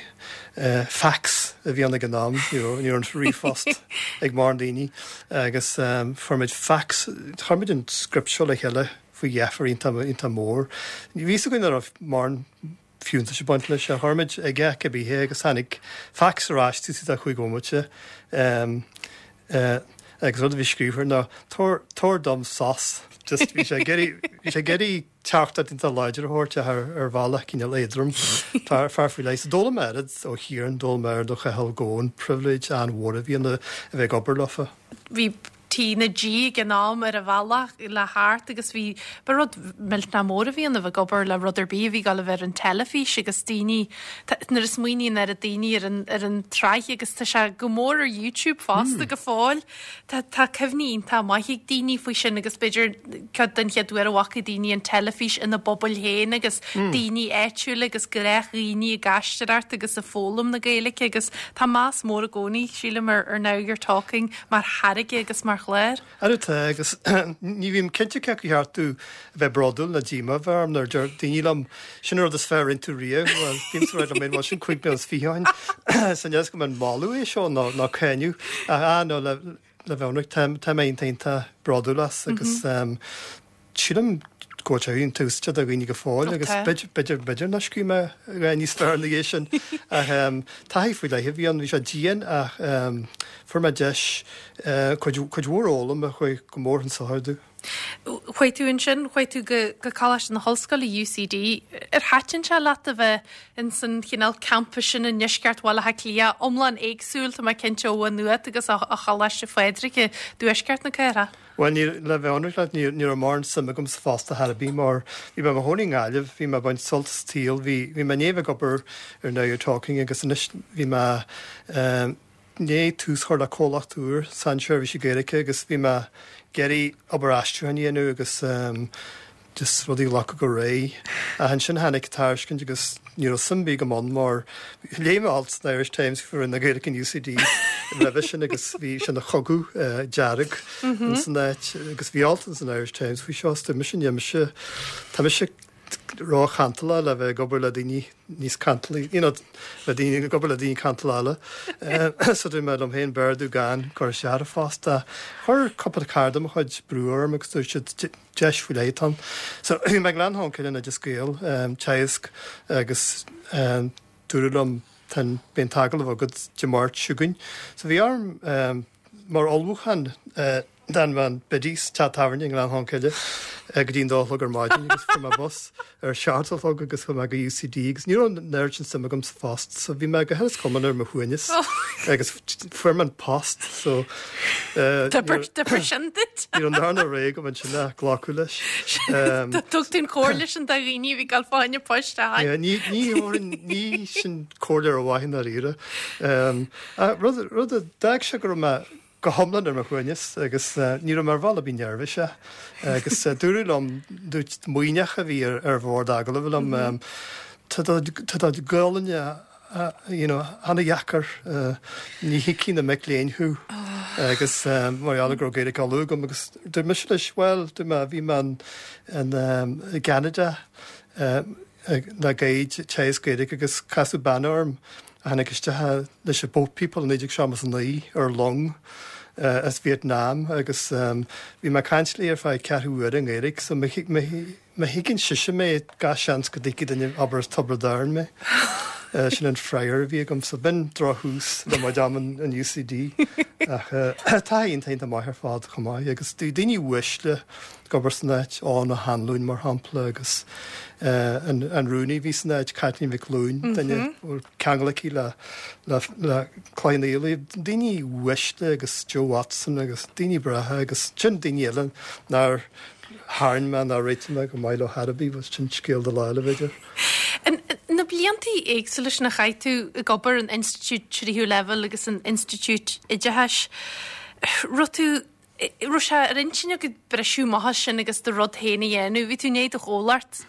Speaker 2: fax a bhí ann ag an am, ní raibh ní raibh an ríomhphost ag mórán daoine, agus fuair muid fax, chuir muid an script seo le chéile faoi dheifir iontach iontach mór. Bhí a fhios againn nach raibh mórán fiúntais ag baint leis, ach chuir muid aige cibé agus tháinig fax ar ais taobh istigh de chúig bhomaite agus rud a bhí scríofa air ná tabhair tabhair dom sos. Just bhí sé ag iarraidh bhí sé ag iarraidh teachtaireacht iontach láidir a thabhairt ach ar ar bhealach cineál éadrom. Fear fear faoi leith. So d'fhoghlaim mé oiread ó Chiaran, d'fhoghlaim mé oiread ó Chathal Goan, pribhléid an-mhór a bhí ann a bheith ag obair leofa.
Speaker 1: Bhí T na G ag an am ar a bhealach le thart agus bhí ba rud millteanach mór a bhí ann a bheith ag obair le rud ar bith a bhí ag dul a bheith ar an teilifís agus daoine nuair a smaoiníonn ar a daoine ar an ar an tsraith agus tá sé go mór ar YouTube fosta mm. go fóill. Tá tá cuimhní iontach maith ag daoine faoi sin agus b'fhéidir ceann den chéad uair a bhfaca daoine an teilifís ina bpobail féin agus mm. daoine áitiúla agus gnáthdhaoine ag aisteoireacht agus ag foghlaim na Gaeilge agus tá meas mór i gcónaí sílim ar ar Now You're Talking mar tháirge agus mar chlár.
Speaker 2: Tá agus ní bhím cinnte cé acu cheart domh a bheith bródúil nó díomá bheith orm nuair deir daoine liom sin rud is fearr a rinne tú riamh well bím sa rud mé sin cúig bliana is fiche ó shin san deas go mbeidh moladh é seo ná ná cáineadh a nó le le bheith tá tá mé iontach bródúil as agus um, sílim go bhfuil sé iontaofa do dhaoine go fóill agus b'fhéidir b'fhéidir nach scríobh mé ré níos fearr na dhiaidh sin ach um, taithí faoi leith a bhí ann bhí sé dian ach um, fuair mé deis uh, cuid cuid mhór a fhoghlaim a chuaigh go mór chun sochair domh.
Speaker 1: Chuaigh tú ansin chuaigh tú go go Coláiste na hOllscoile UCD ar thaitin sé leat a bheith in san chineál campus sin i ndeisceart Bhaile Átha Cliath iomlán éagsúil tá mé cinnte ó Mhaigh Nuad agus a Choláiste Phádraig i dtuaisceart na cathrach.
Speaker 2: Well ní le bheith ionraic leat ní ní raibh mórán suim agam sa phost ar bith mar bhí mé i mo chónaí i nGaillimh, bhí mé ag baint sult as an tsaol, bhí bhí mé i ndiaidh ag obair ar Now You're Talking agus anois bhí mé um, i ndiaidh tús a chur le comhlacht úr sainseirbhísí Gaeilge agus bhí mé ag iarraidh obair aistriúcháin a dhéanamh agus um, just rudaí a ghlacadh go réidh. Ach ansin tháinig tairiscint agus ní raibh suim ar bith agam ann mar léigh mé alt san Irish Times faoi na Gaeilge in UCD roimhe sin agus bhí sin ina chogadh uh, dearg mm -hmm. san áit agus bhí alt san Irish Times faoi seo mise mise mise tá mise ró-chantalach le bheith ag obair le daoine níos cantalaí you know, le daoine ag obair le daoine cantalacha uh, so dúirt mé liom féin b'fhearr domh gan cur isteach ar an phost chuir cúpla cara de mo chuid brú orm agus dúirt siad deis faoi leith ann. So bhí mé Gleann Cholm Cille Oideas Gael um, Teagasc agus um, dúradh liom ten bíonn agallamh agat Dé Máirt seo chugainn. So bhí orm um, mar ullmhúchán uh, d'fhan mé in Biddy's teach tábhairne i nGleann Cholm Cille uh, go dtí an dó a chlog ar maidin agus fuair mé bus ar seacht a chlog agus chuaigh mé go UCD agus ní raibh an oiread sin suim agam sa phost so bhí mé go huile is go hiomlán ar mo shuaimhneas agus fuair mé an post so uh,
Speaker 1: Difir sin duit.
Speaker 2: Ní an darna ré go sin a glacadh leis.
Speaker 1: Um, Tug tú an chomhairle sin do dhaoine bhí ag fáil poist a
Speaker 2: Yeah, ní ní ní sin comhairle ar mhaith dáiríre. Um, rud rud a d'fhág sé go raibh mé go hiomlán ar mo shuaimhneas agus uh, ní raibh mar bhall bhí neirbhíseach agus uh, dúradh liom dúirt Muimhneach a bhí ar, ar bhord agallaimh liom um, tá tá Gaelainn uh, you know, an-dheacair uh, ní thuigfidh na mic léinn thú agus um, mar gheall go raibh Gaeilge á lua agam agus dúirt mise leis well dúirt mé bhí mé in um, i gCeanada um, le Gaeilge teagasc Gaeilge agus casadh bean orm a tháinig isteach leis an Boat People naoi déag seachtó a naoi ar long uh, as Vietnam agus um, bhí mé ag caint léi ar feadh ceathrú uaire i nGaeilge so má thuigeann sise mé gach seans go dtuigfidh duine arb as Tiobraid Árann mé. Uh, sin an freagra a bhí agam so b'in drochthús le mo am in UCD ach uh, tá iontaonta maith ar fad chomh maith agus du daoine uaisle ag obair san áit Eoin Ó hAnluain mar shampla agus uh, an, an rúnaí bhí san áit Caitlín Mhic Fhloinn duine mm ceangal aici le le le Cloich Cheann daoine uaisle agus Joe Watson agus daoine breátha agus sin daoine eile nár tharraing mé ná réitigh mé go maith leo ar bith was sin scéal do lá eile b'fhéidir.
Speaker 1: Na blianta éagsúla sin a chaith tú ag obair an Institiúid Tríú Leibhéal agus an Institiúid Oideachais. Raibh tú raibh sé ar intinn agat briseadh amach as sin agus do rud féin a dhéanamh, bhí tú i ndiaidh do chomhlacht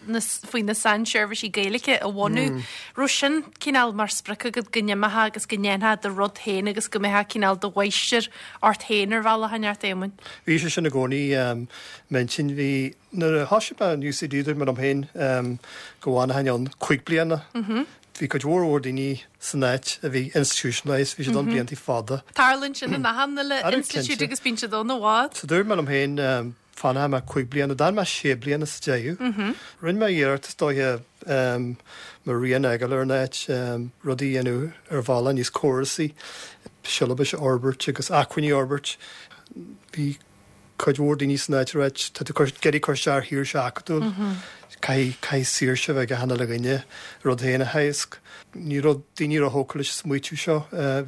Speaker 1: faoi na sainseirbhísí Gaeilge a bhunú. Mm. Raibh sin cineál mar sprioc agat go n-imeofá agus go ndéanfá do rud féin agus go mbeifeá cineál do mháistir ort féin ar bhealach inteacht Éamoinn.
Speaker 2: Bhí sé sin i gcónaí um, m'intinn bhí nuair a thosaigh mé an UCD dúirt mé liom féin um, go bhfanfainn ann cúig bliana. Mm -hmm. Bhí cuid mhór mhór daoine san áit a bhí institutionalized, bhí siad ann blianta fada.
Speaker 1: Tarlaíonn sin in achan uile institiúid agus bíonn siad ann i bhfad.
Speaker 2: So dúirt mé liom féin um, fanfaidh mé cúig bliana, d'fhan mé sé bliana sa deireadh. Mm -hmm. Rinne mé iarracht is dóiche um, mo rian a fhágáil ar an áit um, rudaí a dhéanamh ar bhealach níos córasaí, siollabais a fhorbairt agus acmhainní a fhorbairt. Bhí cuid mhór daoine san áit ag ráit tá tú ag iarraidh cur isteach ar shaoirse acadúil. Caithfidh caithfidh saoirse bheith ag achan uile dhuine rud féin a theagasc. Ní raibh daoine róthógtha leis an smaoitiú seo.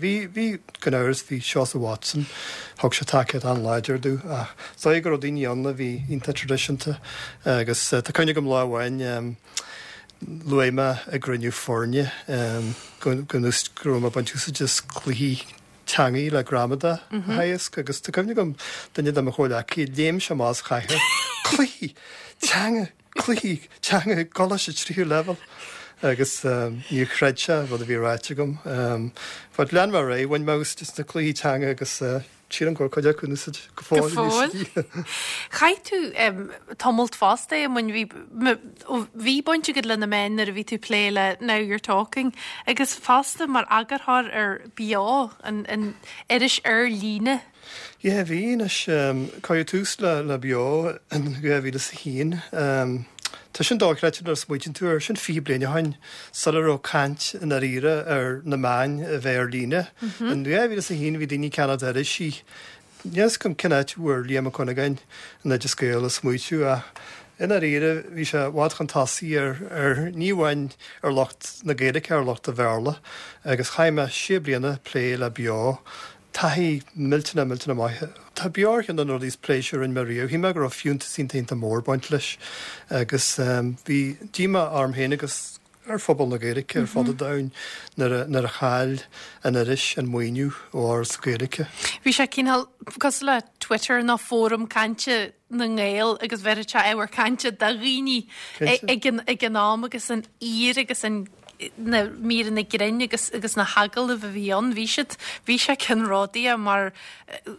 Speaker 2: Bhí bhí gan amhras bhí Seosamh Watson, thug sé tacaíocht an-láidir domh ach is dóigh go raibh daoine ann a bhí iontach traidisiúnta agus tá cuimhne agam lá amháin luaigh mé i gcruinniú foirne go go raibh mé ag baint úsáid as cluichí teangaí le gramadach a theagasc agus tá cuimhne agam duine de mo chomhghleacaithe léim sé amach as a chathaoir cluichí teanga cluichí teanga i gcoláiste tríú leibhéal agus níor chreid sé rud a bhí ráite agam. But lean mé ar aghaidh, bhain mé úsáid as na cluichí teanga agus sílim go bhfuil cuid acu in úsáid go
Speaker 1: Go
Speaker 2: fóill.
Speaker 1: fóill. Chaith tú tamalt fosta i mbun bhí bhí baint agat le na meáin nuair a bhí tú ag plé le Now You're Talking agus fosta mar eagarthóir ar Beo an, an iris ar líne.
Speaker 2: Yeah, bhí anois cuireadh tús le le Beo in dhá mhíle is a haon. Tá sin dochreidte nuair a smaoitíonn tú air, sin fiche bliain ó shin sula raibh caint i ndáiríre ar na meáin a bheith ar líne. In dhá mhíle is a haon bhí daoine ag ceannach irisí. Níl a fhios agam cén áit a bhfuair Liam Ó Cuinneagáin an Oideas Gael a smaoitiú ach i ndáiríre bhí sé i bhfad chun tosaigh ar ar ní amháin ar lucht na Gaeilge ar lucht an Bhéarla agus chaith mé sé bliana ag plé le Beo. Taithí millteanach millteanach maith. Tá Beo ar cheann de na rudaí is pléisiúr a rinne mé riamh. Shíl mé go raibh fiúntas iontach iontach mór ag baint leis agus bhí díomá orm féin agus ar phobal na Gaeilge ar fud an domhain nuair a nuair a chaill an iris an maoiniú ó Fhoras na Gaeilge.
Speaker 1: Bhí sé cineál cosúil le Twitter nó fóram cainte na nGael agus bheireadh sé ábhar cainte do dhaoine ag an ag an am agus an aoir agus an na míreanna grinn agus agus na hagallaimh a bhí ann, bhí siad bhí sé ceannródaíoch mar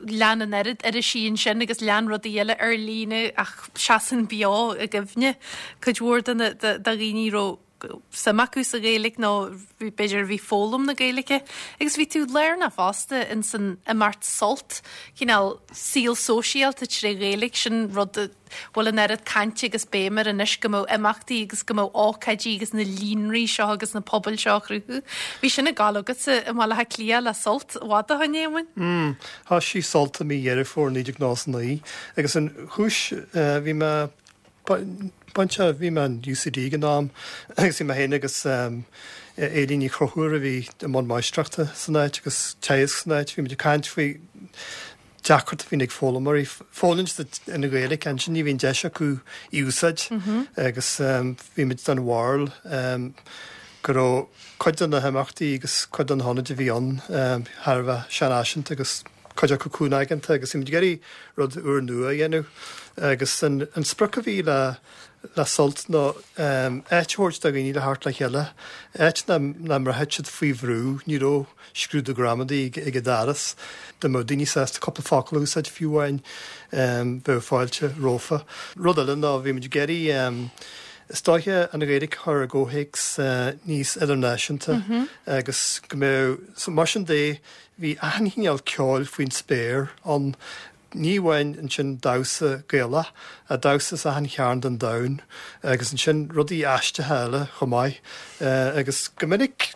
Speaker 1: lean an oiread irisí ansin agus lean rudaí eile ar líne ach seasann Beo i gcuimhne cuid mhór de na de dhaoine raibh suim acu sa Ghaeilge nó b'fhéidir bhí foghlaim na Gaeilge agus bhí tú lárnach fosta in san imeacht Sult cineál saol sóisialta tré Ghaeilge sin rud a bhfuil an oiread cainte agus béim air anois go mbeadh imeachtaí agus go mbeadh ócáidí agus na líonraí seo agus na pobail seo a chruthú. Bhí sin ag gabháil agatsa i mBaile Átha Cliath le Sult i bhfad ó shin, Éamoinn?
Speaker 2: Mm, thosaigh Sult i mí Dheireadh Fómhair naoi déag nócha a naoi agus an chúis bhí mé bainte bhí mé in UCD ag an am agus bhí mé féin agus Éilín Ní Chonchúir a bhí i mbun máistreachta san áit agus teagasc san áit, bhí muid ag caint faoi deacracht a bhíonn ag foghlaimeoirí foghlaim an Ghaeilge ansin ní bhíonn deis acu í úsáid agus bhí muid den bharúil go raibh cuid de na himeachtaí agus cuid de na hionaid a bhí ann thar a bheith seanfhaiseanta agus cuid acu cúngaigeanta agus bhí muid ag iarraidh rud úrnua a dhéanamh agus an, an sprioc a bhí le le Sult ná áit a thabhairt do dhaoine le theacht le chéile, áit nach mbraithfeadh siad faoi bhrú, ní raibh scrúdú gramadaí ag an doras, dá mbeadh daoine sásta cúpla focal a úsáid fiú amháin bheadh fáilte rompu. Rud eile ná bhí muid ag iarraidh is dóiche an Ghaeilge a chur i gcomhthéacs níos idirnáisiúnta agus go mbeadh mar sin de bhí achan chineál ceoil faoin spéir ann ní amháin ansin damhsa Gaelach, a damhsa as achan chearn den domhan agus ansin rudaí aisteacha eile chomh maith agus go minic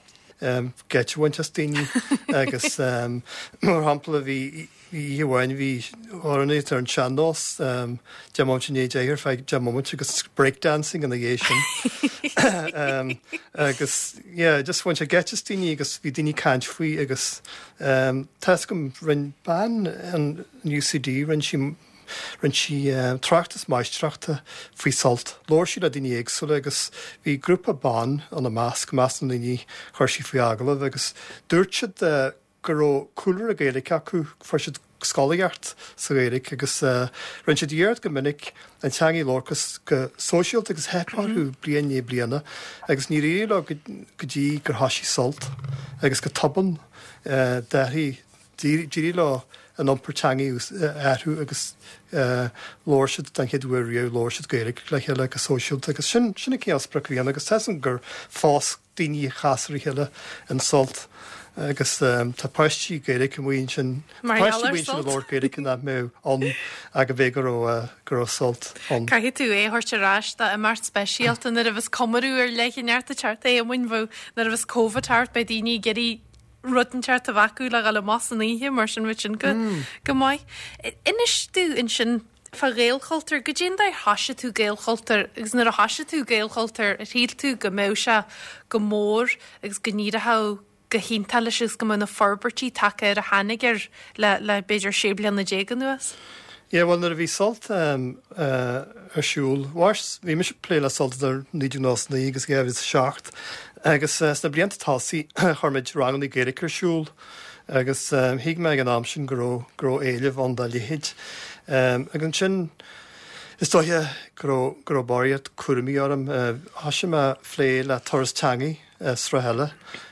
Speaker 2: geit a bhaint as daoine agus mar shampla bhí oíche amháin bhí amhránaíocht ar an sean-nós deich mbomaite i ndiaidh a deich ar feadh deich mbomaite agus breakdancing ina dhiaidh sin. agus yeah, just bhain sé geit as daoine agus bhí daoine ag caint faoi agus tá a fhios agam rinne bean an UCD rinne sí rinne sí tráchtas máistreachta faoi Sult. Labhair sí le daoine éagsúla agus bhí grúpa ban ina measc, measc na ndaoine chuir sí faoi agallamh agus dúirt siad go raibh cúlra Gaeilge acu, fuair siad scolaíocht sa Ghaeilge agus rinne siad iarracht go minic an teanga a labhairt go sóisialta agus theip orthu bliain i ndiaidh bliana agus níor éirigh leo go dtí gur thosaigh Sult agus go tobann d'athraigh d'éirigh leo an iompar teanga a athrú agus labhair siad den chéad uair riamh labhair siad Gaeilge le chéile go sóisialta agus sin sin an cineál sprioc a bhí ann agus tá a fhios agam gur phós daoine a chas ar a chéile in Sult agus tá páistí Gaeilge amuigh ansin páistí amuigh ansin ag labhairt Gaeilge nach mbeadh ann ach go b'fhéidir go raibh go raibh Sult ann.
Speaker 1: Caithfidh tú é a thabhairt ar ais do imeacht speisialta nuair a bheas comóradh ar leith inteacht ag teacht Éamoinn nuair a bheas Covid thart beidh daoine ag iarraidh rud inteacht a bheith acu le dhul amach san oíche mar sin bheadh sin go go maith. Inis domh ansin fá Ghaelchultúr, goidé an dóigh ar thoisigh tú Gaelchultúr agus nuair a thoisigh tú Gaelchultúr ar shíl tú go mbeadh sé go mór agus go n-éireodh go hiontach leis agus go mbeadh na forbairtí tagtha air a tháinig air le le b'fhéidir sé bliana déag anuas?
Speaker 2: Yeah, well nuair a bhí Sult um, uh, ar siúl, bhí mise ag plé le Sult idir naoi déag nócha naoi agus dhá mhíle is a seacht agus uh, sna blianta tosaigh chuir muid ranganna Gaeilge ar siúl agus um, thuig mé ag an am sin go raibh go raibh éileamh ann dá leithéid. Um, agus ansin is dóiche go raibh go raibh barraíocht cúraimí orm uh, thosaigh mé ag plé le Turas Teanga uh, sraith eile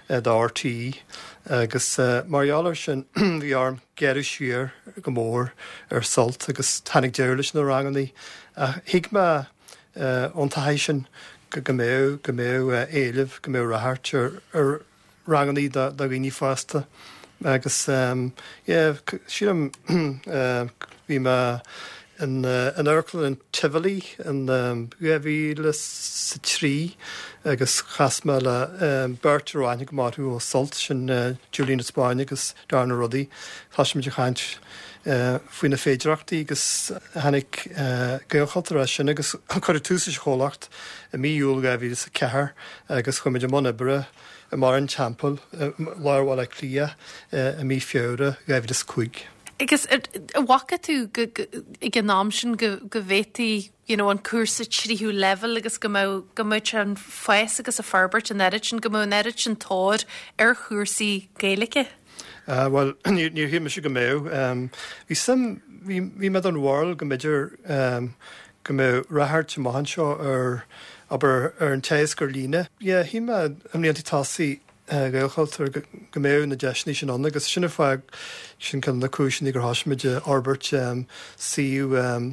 Speaker 2: uh, do R T E agus uh, mar gheall air sin bhí orm gearradh siar go mór ar Sult agus tháinig deireadh leis na ranganna. Uh, thuig mé uh, ón taithí sin go go mbeadh go mbeadh uh, éileamh go mbeadh ráchairt ar, ar ranganna do dhaoine fásta. Agus um, yeah, sílim uh, bhí mé in uh, in Amharclann an Tivoli in um, dhá mhíle is a trí agus chas mé le um, beirt a raibh aithne go maith ó Sult sin uh, Julian de Spáinn agus Darna Ruddy. Thosaigh muid ag caint uh, faoi na féidearthachtaí agus tháinig uh, Gaelchultúr as sin agus cuireadh tús leis an chomhlacht i mí Iúil dhá mhíle is a ceathair agus chuaigh muid i mbun oibre i mBarr an Teampaill lár Bhaile Átha Cliath i mí Feabhra dhá mhíle is cúig.
Speaker 1: Agus an bhfaca tú ag an am sin go go bhféadfaí you know, an cúrsa tríú leibhéal agus go mbeadh go mbeadh an fás agus a forbairt an oiread sin go mbeadh an oiread sin tóir ar chúrsaí Gaeilge?
Speaker 2: Uh, well níor shíl mise go mbeadh. Um, bhí sim bhí mé den bharúil go mb'fhéidir um, go mbeadh ráchairt amach anseo ar aber ar an teagasc ar líne. Yeah, shíl mé i mblianta tosaigh Ghaelchultúr go mbeadh na deiseanna sin ann agus sin fáth sin ceann de na cúiseanna gur thosaigh muid ag forbairt um, suíomh um,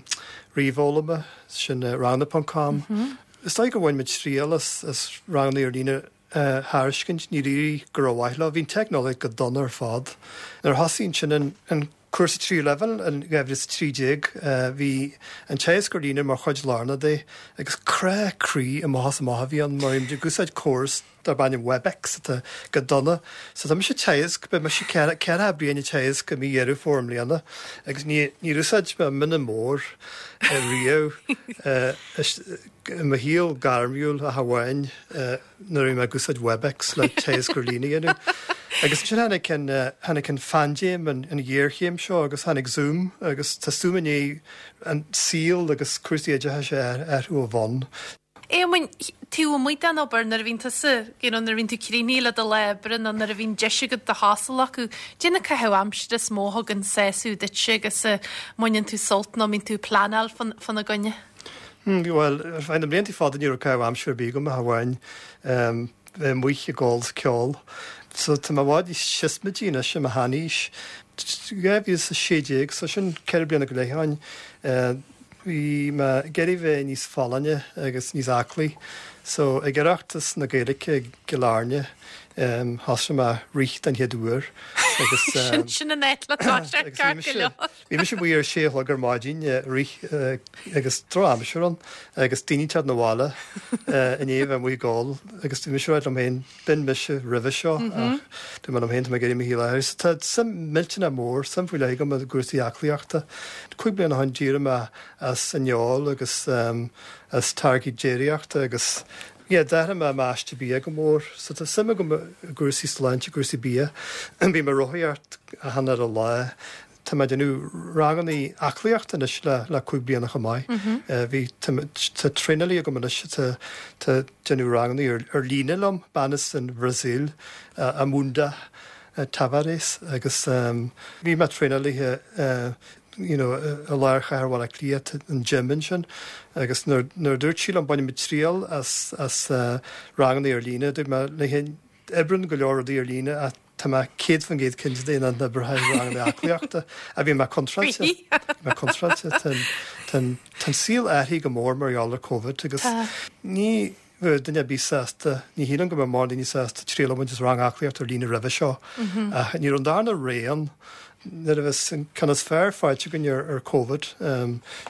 Speaker 2: ríomhfhoghlama sin uh, ranganna ponc com. Mm -hmm. Is dóigh go bhain muid triail as, as ranganna ar líne uh, thairiscint ní rí go raibh le bhí teicneolaíocht go dona ar fad. Nuair a thosaigh sin an, an cúrsa trí level an gehis trídéag bhí an teagasc ar líne mar chuid lárnach de agus crá croí amach amach bhí an mar ag úsáid córas darb ainm Webex atá go dona. So tá mise teagasc be me si ceithre bliana teagasc go mí Dheireadh Fómhair i mbliana agus ní úsáid mé mine mór riamh i mo shaol gairmiúil ach amháin nuair mé ag úsáid Webex le teagasc ar líne dhéanamh. Agus sin tháinig an tháinig an phaindéim an an ghéarchéim seo agus tháinig Zoom agus tá Zoom é an saol agus cúrsaí oideachais ar ó bhonn.
Speaker 1: Éamoinn tú amuigh den obair nuair a bhíonn tusa you know, nuair a bhíonn tú críochnaithe le do lá oibre nó nuair a bhíonn deis agat do shos a ghlacadh, Cad é na caitheamh aimsire is mó a thugann sásamh duitse agus a mbaineann tú sult nó mbíonn tú ag pleanáil fána gcoinne.
Speaker 2: Hmm, well ar feadh na blianta fada ní raibh caitheamh aimsire ar bith agam ach amháin um, bheith amuigh ag ól ceol. So tá mé i bhfad níos siosmaidí anois i mo sheanaois. Dhá mhíle is a sé déag, so sin ceithre bliana go leith ó shin bhí mé ag iarraidh bheith níos folláine agus níos aclaí. So ag Oireachtas na Gaeilge i gCill Airne um, thosaigh mé rith den chéad uair agus
Speaker 1: Sin sin an áit le
Speaker 2: Bhí mise amuigh ar sé a chlog ar maidin rith agus drochaimsir ann agus daoine ag teacht 'na bhaile i ndiaidh bheith amuigh ag ól agus bhí mise ag rá liom féin b'in mise roimhe seo ach dúirt mé liom féin tá mé ag iarraidh mo shaol a athrú. So tá suim millteanach mór suim faoi leith agam i gcúrsaí aclaíochta. Cúig bliana ó shin d'éirigh mé as an fheoil agus um, as táirgí déiríochta agus yeah, d'athraigh mé m'aiste bia go mór, so tá suim agam i gcúrsaí sláinte cúrsaí bia bím ag rothaíocht achan ar a lá. Tá mé ag déanamh ranganna aclaíochta anois le le cúig bliana chomh maith. Bhí tá traenálaí agam anois tá tá déanamh ranganna ar, ar líne liom bean as an Bhrasaíl uh, Amanda uh, Tavares agus um, bhí mé traenálaithe uh, you know, i lár chathair Bhaile Átha Cliath an gym sin agus nuair dúirt sí liom bainfidh mé triail as as uh, ranganna ar líne dúirt mé léi oibríonn go leor rudaí ar líne a tá mé céad faoin gcéad cinnte de nach n-oibreoidh ranganna aclaíochta a bhí mé contráilte mé contráilte Tá an saol athraithe go mór mar gheall ar COVID agus ní duine bí sásta ní hían go mar daoine sásta triail a bhaint as rang aclaíocht ar líne roimhe seo. Ní an darna réan Nuair a bheas an ceann is fearr faighte againn ar ar Covid,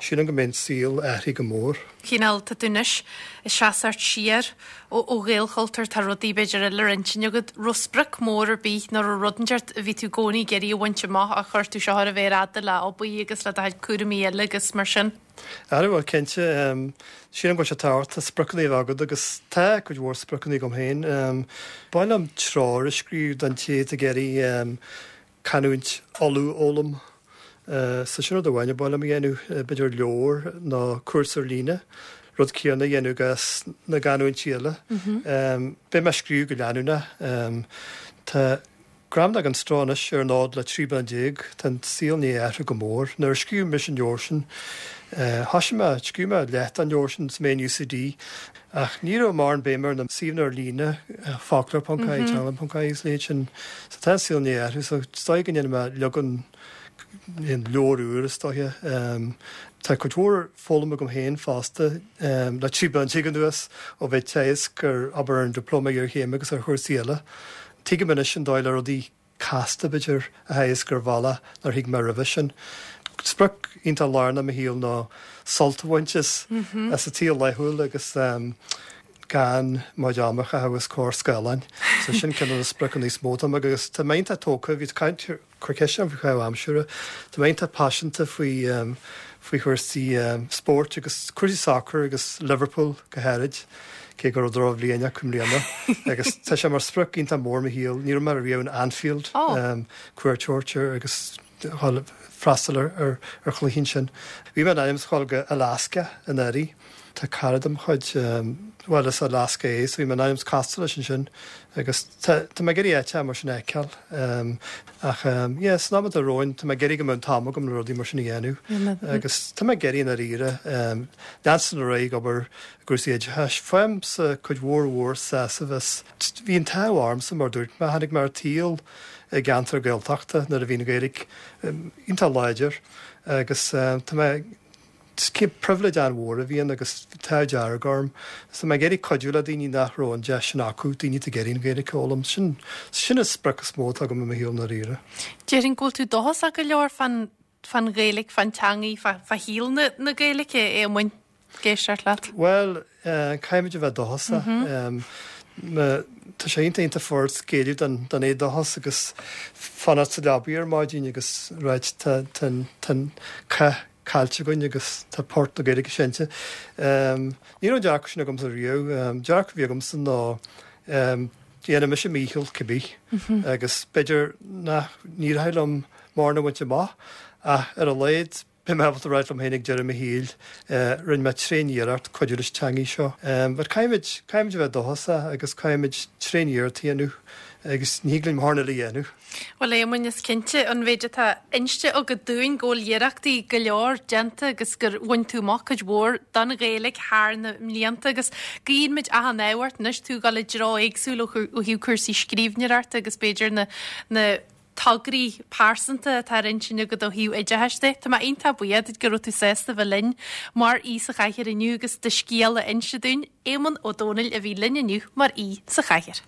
Speaker 2: sílim go mbeidh an saol athraithe go mór.
Speaker 1: Cineál, tá tú anois ag seasamh siar ó ó Ghaelchultúr, tá rudaí b'fhéidir eile ar intinn agat. Raibh sprioc mór ar bith nó raibh rud inteacht a bhí tú i gcónaí ag iarraidh a bhaint amach ach chuir tú seo ar an mhéar fhada le obair agus le do chuid cúraimí eile agus mar sin?
Speaker 2: Ara bhuel cinnte, sílim go bhfuil sé tábhachtach spriocanna a bheith agat agus tá cuid mhór spriocanna agam féin. Ba mhaith liom treoir a scríobh don té atá ag iarraidh canúint Uladh a fhoghlaim. So sin rud amháin a ba mhaith liom a dhéanamh, b'fhéidir leabhar nó cúrsa ar líne, rud céanna a dhéanamh i gcás na gcanúintí eile. Beidh mé ag scríobh go leanúnach. Tá Gramadach gan Stró anois ar an fhód le trí bliana déag. Tá an saol i ndiaidh athrú go mór. Nuair a scríobh mise an leabhar sin, thosaigh mé, scríobh mé leath den leabhar sin is mé in UCD, ach ní raibh mórán béime ar na suíomhanna ar líne, foclóir ponc ie, teanglann ponc ie agus a leithéid sin. So tá an saol i ndiaidh athrú, so is dóigh go ndéanfaidh mé leagan den leabhar úr is dóiche. Tá cuid mhór foghlamtha agam féin fosta le trí bliana déag anuas ó bheith ag teagasc ar obair ar an Dioplóma Iarchéime agus ar chúrsaí eile. Tuigim anois an dóigh le rudaí casta, b'fhéidir, a theagasc ar bhealach nár thuig mé roimhe sin. Sprioc iontach lárnach i mo shaol ná sult a bhaint as as an tsaol laethúil agus gan mo chuid ama a chaitheamh os comhair scáileáin. So sin ceann de na spriocanna is mó atá agam agus tá mé iontach tógtha, bhí caint cuir ceist orm faoi chaitheamh aimsire. Tá mé iontach paiseanta faoi faoi chúrsaí spóirt agus cúrsaí sacair agus Liverpool go háirid, cé go raibh drochbhliain acu i mbliana. Agus tá sé mar sprioc iontach mór i mo shaol. Ní raibh mé riamh in Anfield cuairt a thabhairt air agus freastal ar ar chluiche ansin. Bhí mé in ainm is a dhul go Alaska anuraidh. Tá cara de mo chuid, bhuel as Alaska é, so bhí mé in ainm is castáil leis ansin agus tá tá mé ag iarraidh áiteacha mar sin a fheiceáil. Ach yeah, san am atá romhainn tá mé ag iarraidh go mbeadh an t-am agam le rudaí mar sin a dhéanamh agus tá mé ag iarraidh i ndáiríre leanstan ar aghaidh ag obair i gcúrsaí oideachais. Faighimse cuid mhór mhór sásaimh as. Bhí an t-ádh ormsa mar dúirt mé, tháinig mé ar an tsaol i gceantar Gaeltachta nuair a bhí an Ghaeilge iontach láidir agus tá mé pribhléid an-mhór a bhí ann agus an t-ádh dearg orm. So tá mé ag iarraidh cuidiú le daoine nach raibh an deis sin acu, daoine atá ag iarraidh an Ghaeilge a fhoghlaim. Sin sin an sprioc is mó atá agam i mo shaol i ndáiríre.
Speaker 1: Déarfainn go bhfuil tú dóchasach go leor fán fán Ghaeilge, fán teangaidh, fá fá shaol na na Gaeilge, a Éamoinn, ag éisteacht leat.
Speaker 2: Bhuel, caithfimid a bheith dóchasach. Tá sé iontach iontach furast géilleadh don don éadóchas agus fanacht sa leabaidh ar maidin agus ráit tá tá tá an cath caillte againn agus tá port na Gaeilge seinnte. Ní raibh an dearcadh sin agamsa riamh. Dearcadh a bhí agamsa ná dhéanfaidh mise mo dhícheall cibé agus b'fhéidir nach n-éireoidh liom mórán a bhaint amach ach ar a laghad beidh mé ábalta ráit liom féin ag deireadh mo shaoil rinne mé tréan-iarracht cuidiú leis an teangaidh seo. But caithfimid, caithfimid a bheith dóchasach agus caithfimid tréan-iarracht a dhéanamh agus ní thig linn mórán eile a dhéanamh.
Speaker 1: Bhuel, a Éamoinn, is cinnte an mhéid atá inste agat dúinn go bhfuil iarrachtaí go leor déanta agus gur bhain tú amach cuid mhór don Ghaeilge thar na mblianta agus guíonn muid achan ádh ort anois tú ag dul i dtreo éagsúil ó thaobh cúrsaí scríbhneoireachta agus b'fhéidir na na tograí pearsanta atá ar intinn agat ó thaobh oideachais de. Tá mé iontach buíoch duit go raibh tú sásta bheith linn mar aoi sa chathaoir inniu agus do scéal a inse dúinn. Éamonn Ó Dónaill a bhí linn inniu mar aoi sa chathaoir.